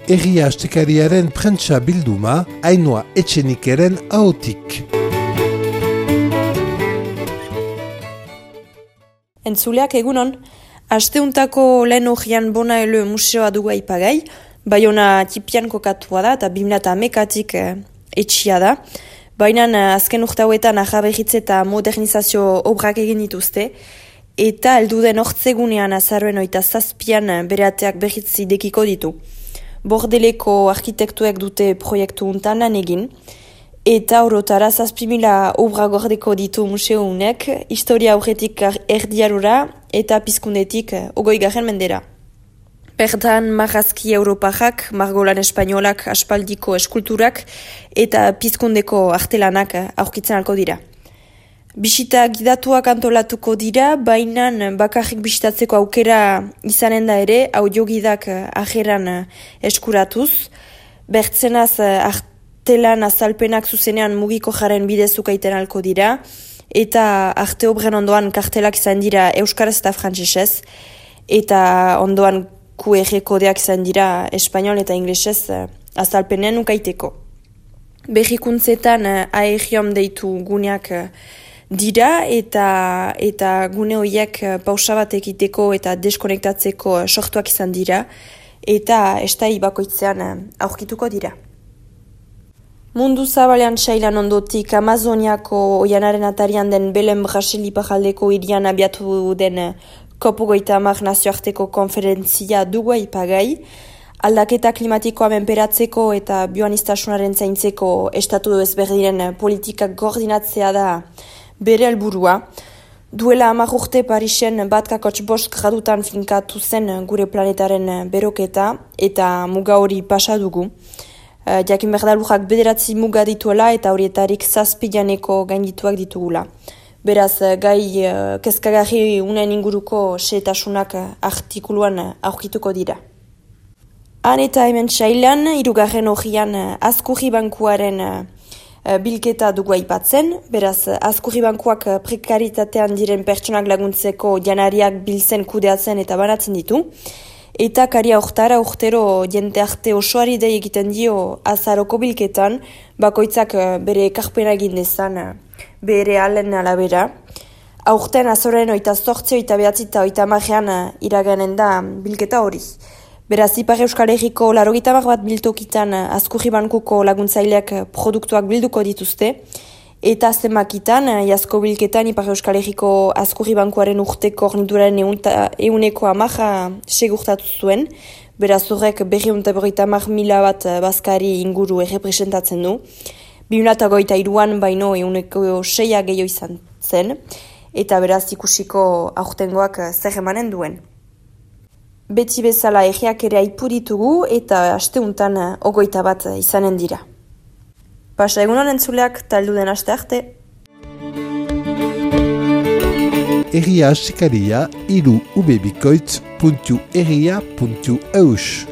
Egia Astekariaren prentsa bilduma, Ainhoa Etxenikeren ahotik. Entzuleak egunon, asteuntako lehen horian Bonaele museoa dugu aipagai, Baiona tipian kokatua da eta 2011-tik etxia da. Baina azken urte hauetan ahaberritze eta modernizazio obrak egin dituzte, eta helduden hortzegunean azaroen 27an bere ateak berriz idekiko ditu. Bordeleko arkitektuek dute proiektu untan lan egin, eta orotara 7.000 obra gordeko ditu museunek, historia aurretik erdiarura eta pizkundetik 20. mendera. Bertan marrazki europajak, margolan espainolak, aspaldiko eskulturak eta pizkundeko artelanak aurkitzen alko dira. Bisita gidatuak antolatuko dira, baina bakarrik bisitatzeko aukera izanen da ere, audiogidak ajeran eskuratuz. Bertzenaz artelan azalpenak zuzenean mugiko jaren bidezuk aiten alko dira, eta arte obren ondoan kartelak izan dira euskaraz eta frantsesez, eta ondoan QR kodeak izan dira espainol eta inglesez azalpenen ukaiteko. Berrikuntzetan aegiom deitu guneak dira eta gune horiek pausa bat egiteko eta deskonektatzeko sortuak izan dira eta estai bakoitzean aurkituko dira. Mundu zabalean sailan ondotik Amazoniako oianaren atarian den Belen Brasili pajaldeko hirian abiatu den COP30 nazioarteko konferentzia dugu aipagai, aldaketa klimatikoa menperatzeko eta bioanistasunaren zaintzeko estatu ezberdinen politikak koordinatzea da bere helburua. Duela 10 urte Parisen 1,5 gradutan finkatu zen gure planetaren beroketa eta muga hori pasa dugu. Jakin behar lujak 9 muga dituela eta horietarik 7 janeko gaindituak ditugula. Beraz, gai kezkagarri unen inguruko xehetasunak artikuluan aurkituko dira. Han eta hemen sailan, 3. horian Azkurri Bankuaren bilketa dugu aipatzen. Beraz, Azkurri Bankuak prekaritatean diren pertsonak laguntzeko janariak biltzen kudeatzen eta banatzen ditu. Eta karia hortara urtero jente arte osoari dei egiten dio azaroko bilketan, bakoitzak bere ekarpena egin dezan bere alen alabera. Aurten azoren 28, 29 eta 30 iraganen da bilketa hori. Beraz, Ipar Euskal Herriko 80 bat biltokitan Azkurri Bankuko laguntzaileak produktuak bilduko dituzte, eta zenbakitan, iazko bilketan Ipar Euskal Herriko Azkurri Bankuaren urteko hornituraren 110 segurtatu zuen, beraz horrek 250.000 bat bazkari inguru errepresentatzen du. 2023an baino 106 gehiago izan zen, eta beraz ikusiko aurtengoak zer emanen duen. Beti bezala egiak ere aipu ditugu eta asteuntan 21 bat izanen dira. Pasa egunon entzuleak talduden aste arte. Egia Astekaria @ubebikoitz.egia.eus